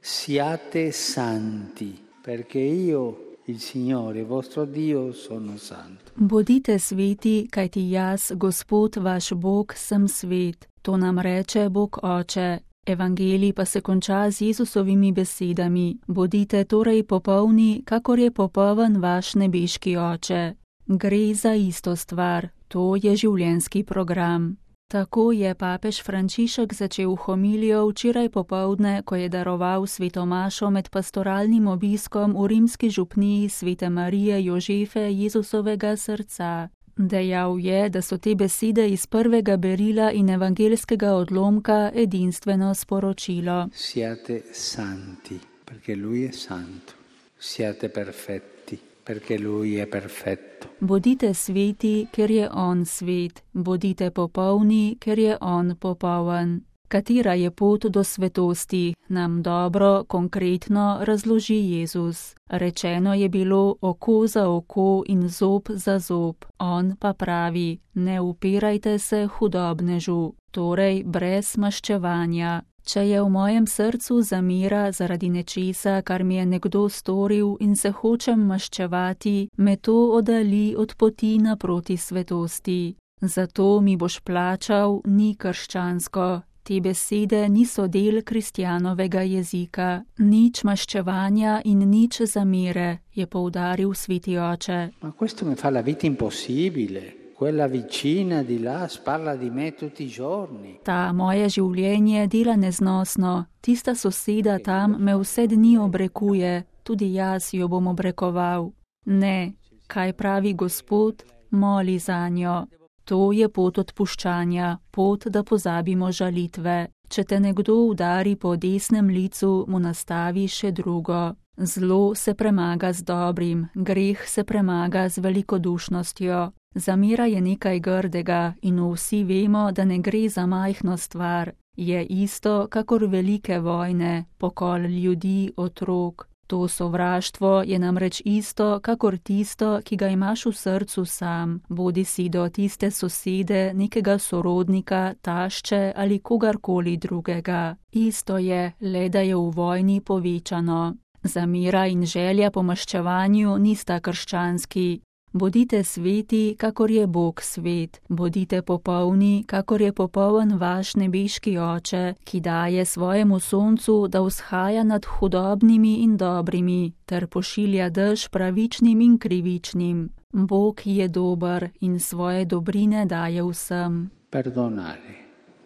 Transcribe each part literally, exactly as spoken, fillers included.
Siate santi, perché io, il Signore, vostro Dio, sono santo. Bodite sveti, kajti jaz, Gospod vaš Bog, sem svet. To nam reče Bog Oče. Evangelij pa se konča z Jezusovimi besedami. Bodite torej popolni, kakor je popoln vaš nebeški Oče. Gre za isto stvar, to je življenjski program. Tako je papež Frančišek začel homilijo včeraj popoldne, ko je daroval sveto mašo med pastoralnim obiskom v rimski župniji Svete Marije Jožefe Jezusovega srca. Dejal je, da so te besede iz prvega berila in evangeljskega odlomka edinstveno sporočilo. Siate santi, perché lui è santo. Siate perfetti, perché lui è perfetto. Bodite sveti, ker je on svet. Bodite popolni, ker je on popoln. Katera je pot do svetosti, nam dobro, konkretno razloži Jezus. Rečeno je bilo oko za oko in zob za zob. On pa pravi, ne upirajte se hudobnežu, torej brez maščevanja. Če je v mojem srcu zamera zaradi nečesa, kar mi je nekdo storil in se hočem maščevati, me to oddali od poti naproti svetosti. Zato mi boš plačal, ni krščansko. Te besede niso del kristjanovega jezika. Nič maščevanja in nič zamere, je poudaril sveti oče. Ma questo mi fa la vita impossibile. Quella vicina di là parla di me tutti i giorni. Ta moje življenje dela neznosno. Tista soseda tam me vse dni obrekuje, tudi jaz jo bom obrekoval. Ne, kaj pravi Gospod, moli zanjo. To je pot odpuščanja, pot, da pozabimo žalitve. Če te nekdo udari po desnem licu, mu nastavi še drugo. Zlo se premaga z dobrim, greh se premaga z velikodušnostjo. Zamera je nekaj grdega in vsi vemo, da ne gre za majhno stvar. Je isto, kakor velike vojne, pokol ljudi, otrok. To sovraštvo je namreč isto, kakor tisto, ki ga imaš v srcu sam, bodi si do tiste sosede, nekega sorodnika, tašče ali kogarkoli drugega. Isto je, le da je v vojni povečano. Zamera in želja po maščevanju nista krščanski. Bodite sveti, kakor je Bog svet. Bodite popolni, kakor je popoln vaš nebeški Oče, ki daje svojemu soncu, da vzhaja nad hudobnimi in dobrimi, ter pošilja dež pravičnim in krivičnim. Bog je dober in svoje dobrine daje vsem. Perdonare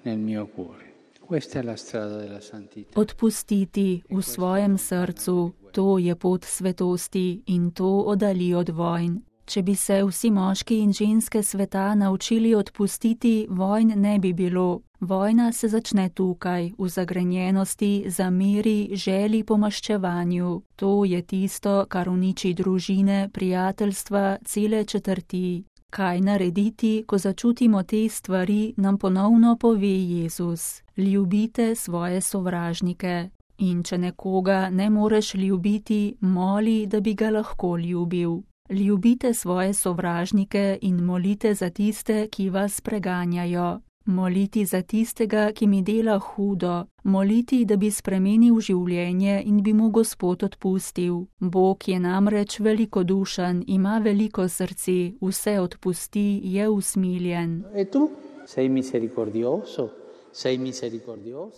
nel mio cuore. Questa è la strada della santità. Odpustiti v svojem srcu, to je pot svetosti in to oddali od vojn. Če bi se vsi moški in ženske sveta naučili odpustiti, vojn ne bi bilo. Vojna se začne tukaj, v zagrenjenosti, zameri, želji po maščevanju. To je tisto, kar uniči družine, prijateljstva, cele četrti. Kaj narediti, ko začutimo te stvari, nam ponovno pove Jezus. Ljubite svoje sovražnike. In če nekoga ne moreš ljubiti, moli, da bi ga lahko ljubil. Ljubite svoje sovražnike in molite za tiste, ki vas preganjajo. Moliti za tistega, ki mi dela hudo. Moliti, da bi spremenil življenje in bi mu Gospod odpustil. Bog je namreč velikodušen, ima veliko srce, vse odpusti, je usmiljen. E tu sei misericordioso?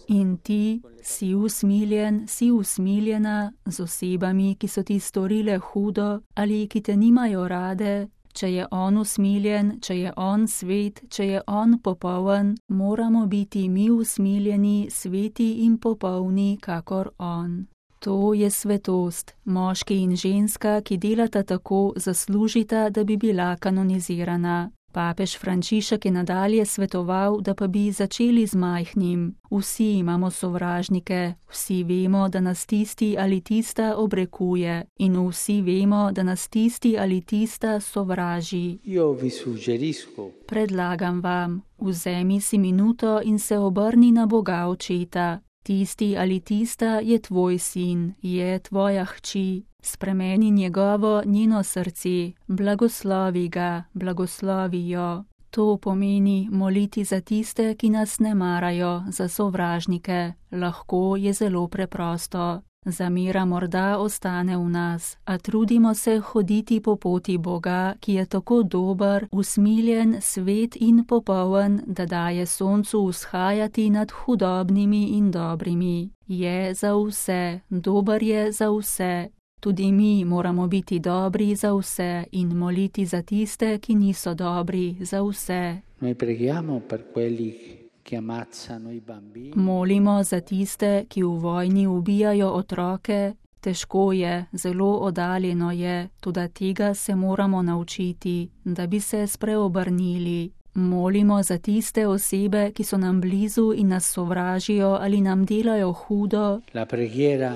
In ti si usmiljen, si usmiljena z osebami, ki so ti storile hudo ali ki te nimajo rade. Če je on usmiljen, če je on svet, če je on popoln, moramo biti mi usmiljeni, sveti in popolni, kakor on. To je svetost. Moški in ženska, ki delata tako, zaslužita, da bi bila kanonizirana. Papež Frančišek je nadalje svetoval, da pa bi začeli z majhnim. Vsi imamo sovražnike, vsi vemo, da nas tisti ali tista obrekuje in vsi vemo, da nas tisti ali tista sovraži. Io vi suggerisco. Predlagam vam, vzemi si minuto in se obrni na Boga Očeta. Tisti ali tista je tvoj sin, je tvoja hči. Spremeni njegovo, njeno srce, blagoslovi ga, blagoslovi jo. To pomeni moliti za tiste, ki nas ne marajo, za sovražnike. Lahko je zelo preprosto. Zamera morda ostane v nas, a trudimo se hoditi po poti Boga, ki je tako dober, usmiljen, svet in popoln, da daje soncu vzhajati nad hudobnimi in dobrimi. Je za vse, dober je za vse. Tudi mi moramo biti dobri za vse in moliti za tiste, ki niso dobri za vse. Noi preghiamo per quelli che ammazzano i bambini. Molimo za tiste, ki v vojni ubijajo otroke. Težko je, zelo oddaljeno je, toda tega se moramo naučiti, da bi se spreobrnili. Molimo za tiste osebe, ki so nam blizu in nas sovražijo ali nam delajo hudo. La preghiera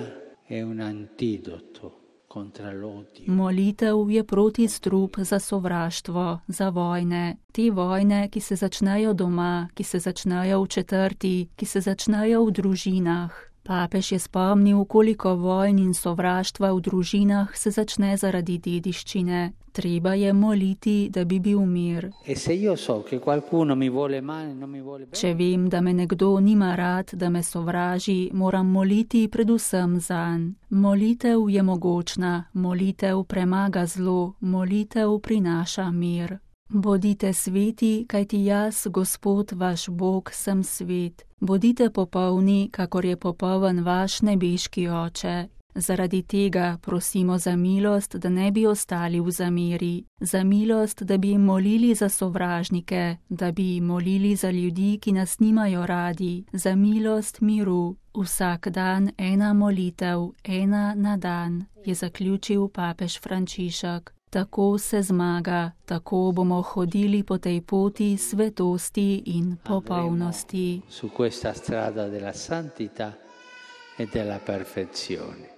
è un antidoto contro l'odio. Molitev je protistrup za sovraštvo, za vojne. Te vojne, ki se začnejo doma, ki se začnejo v četrti, ki se začnejo v družinah. Papež je spomnil, koliko vojn in sovraštva v družinah se začne zaradi dediščine. Treba je moliti, da bi bil mir. E se io so che qualcuno mi vuole male, non mi vuole bene. Če vem, da me nekdo nima rad, da me sovraži, moram moliti predvsem zanj. Molitev je mogočna, molitev premaga zlo, molitev prinaša mir. Bodite sveti, kajti jaz, Gospod vaš Bog, sem svet. Bodite popolni, kakor je popoln vaš nebeški Oče. Zaradi tega prosimo za milost, da ne bi ostali v zameri, za milost, da bi jim molili za sovražnike, da bi jim molili za ljudi, ki nas nimajo radi, za milost miru. Vsak dan ena molitev, ena na dan, je zaključil papež Frančišek. Tako se zmaga, tako bomo hodili po tej poti svetosti in popolnosti. Su questa strada della santità e della perfezione.